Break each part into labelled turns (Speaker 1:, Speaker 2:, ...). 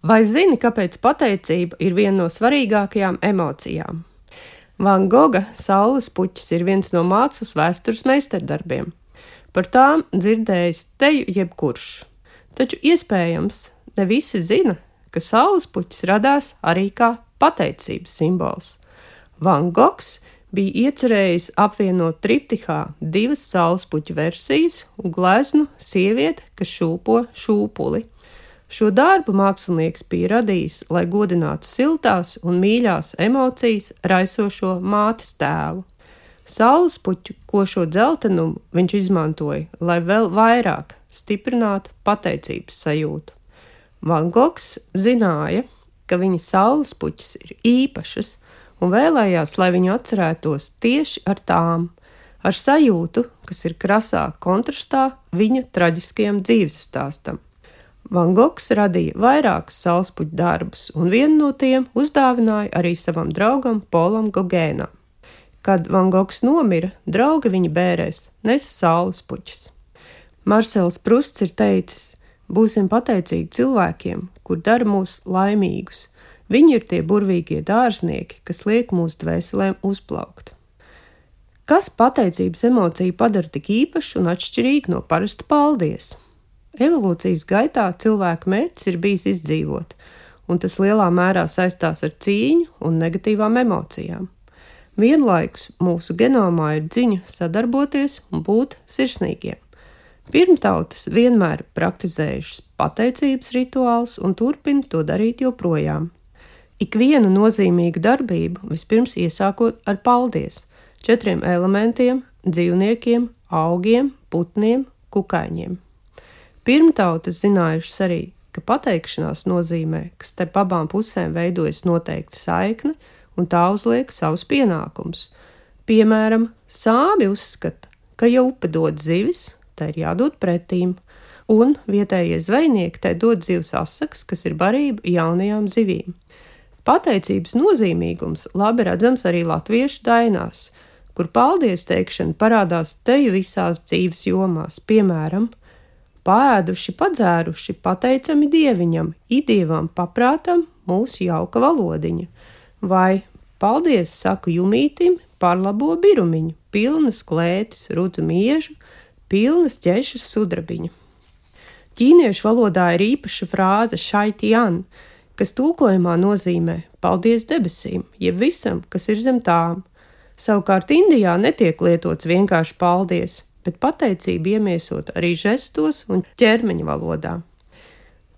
Speaker 1: Vai zini, kāpēc pateicība ir viena no svarīgākajām emocijām? Van Goga Saules puķis ir viens no mākslas vēstures meistardarbiem. Par tām dzirdējis teju jebkurš. Taču iespējams, ne visi zina, ka saules puķis radās arī kā pateicības simbols. Van Gogs bija iecerējis apvienot triptihā divas saules puķu versijas un gleznu sievieti, kas šūpo šūpuli. Šo darbu mākslinieks bija radījis, lai godinātu siltās un mīļās emocijas raisošo mātes tēlu. Saules puķu košo dzeltenumu viņš izmantoja, lai vēl vairāk stiprinātu pateicības sajūtu. Van Gogs zināja, ka viņa saules puķis ir īpašas un vēlējās, lai viņu atcerētos tieši ar tām, ar sajūtu, kas ir krasā kontrastā viņa traģiskajam dzīves stāstam. Van Gogs radīja vairākus saulespuķu darbus, un vienu no tiem uzdāvināja arī savam draugam Polam Gogēnam. Kad Van Gogs nomira, draugi viņa bērēs nesa saulespuķus. Marsels Prusts ir teicis: būsim pateicīgi cilvēkiem, kur dara mūs laimīgus. Viņi ir tie burvīgie dārznieki, kas liek mūsu dvēselēm uzplaukt. Kas pateicības emociju padara tik īpašu un atšķirīgu no parasta paldies? Evolūcijas gaitā cilvēka mērķis ir bijis izdzīvot, un tas lielā mērā saistās ar cīņu un negatīvām emocijām. Vienlaikus mūsu genomā ir ziņa sadarboties un būt sirsnīgiem. Pirmtautas vienmēr praktizējušas pateicības rituālus un turpina to darīt joprojām. Ikvienu nozīmīgu darbību vispirms iesākot ar paldies 4 elementiem – dzīvniekiem, augiem, putniem, kukaiņiem. Pirmtautas zinājušas arī, ka pateikšanās nozīmē, ka starp abām pusēm veidojas noteikta saikne un tā uzliek savus pienākumus. Piemēram, sāmi uzskata, ka ja upe dod zivis, tai ir jādod pretīm, un vietējie zvejnieki tai dod zivs asakas, kas ir barība jaunajām zivīm. Pateicības nozīmīgums labi redzams arī latviešu dainās, kur paldies teikšana parādās teju visās dzīves jomās, piemēram, paēduši, padzēruši, pateicami dieviņam, idievam paprātam mūsu jauka valodiņa, vai paldies saku jumītim par labo birumiņu, pilnas klētis, rudzu miežu, pilnas ķešas sudrabiņu. Ķīniešu valodā ir īpaša frāze šai tian, kas tulkojumā nozīmē paldies debesīm, jeb visam, kas ir zem tām. Savukārt Indijā netiek lietots vienkārši paldies, bet pateicība iemiesot arī žestos un ķermeņa valodā.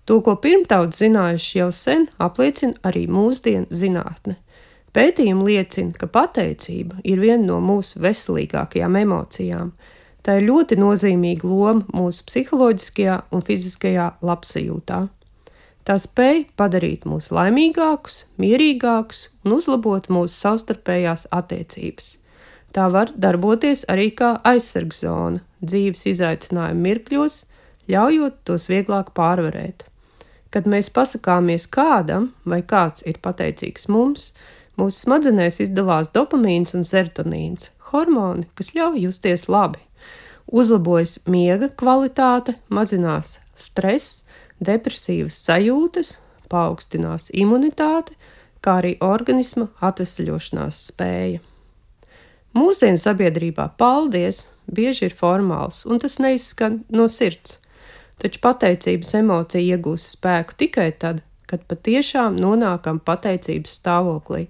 Speaker 1: To, ko pirmtauts zinājuši jau sen, apliecina arī mūsdienu zinātne. Pētījumi liecina, ka pateicība ir viena no mūsu veselīgākajām emocijām. Tā ir ļoti nozīmīga loma mūsu psiholoģiskajā un fiziskajā labsajūtā. Tā spēj padarīt mūs laimīgākus, mierīgākus un uzlabot mūsu savstarpējās attiecības. Tā var darboties arī kā aizsargzona dzīves izaicinājumu mirkļos, ļaujot tos vieglāk pārvarēt. Kad mēs pasakāmies kādam vai kāds ir pateicīgs mums, mūsu smadzenēs izdalās dopamīns un serotonīns, hormoni, kas ļauj justies labi. Uzlabojas miega kvalitāte, mazinās stress, depresīvas sajūtas, paaugstinās imunitāte, kā arī organisma atvesaļošanās spēja. Mūsdienu sabiedrībā paldies bieži ir formāls, un tas neizskan no sirds, taču pateicības emocija iegūst spēku tikai tad, kad patiešām nonākam pateicības stāvoklī.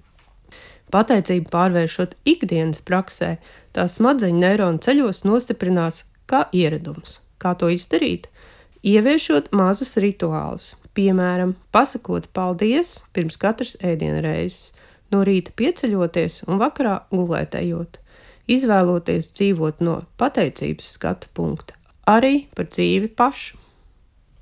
Speaker 1: Pateicību pārvēršot ikdienas praksē, tā smadzeņu neironu ceļos nostiprinās kā ieradums. Kā to izdarīt? Ieviešot mazus rituālus, piemēram, pasakot paldies pirms katras ēdienreizes, no rīta pieceļoties un vakarā gulētējot, izvēloties dzīvot no pateicības skatu punkta, arī par dzīvi pašu.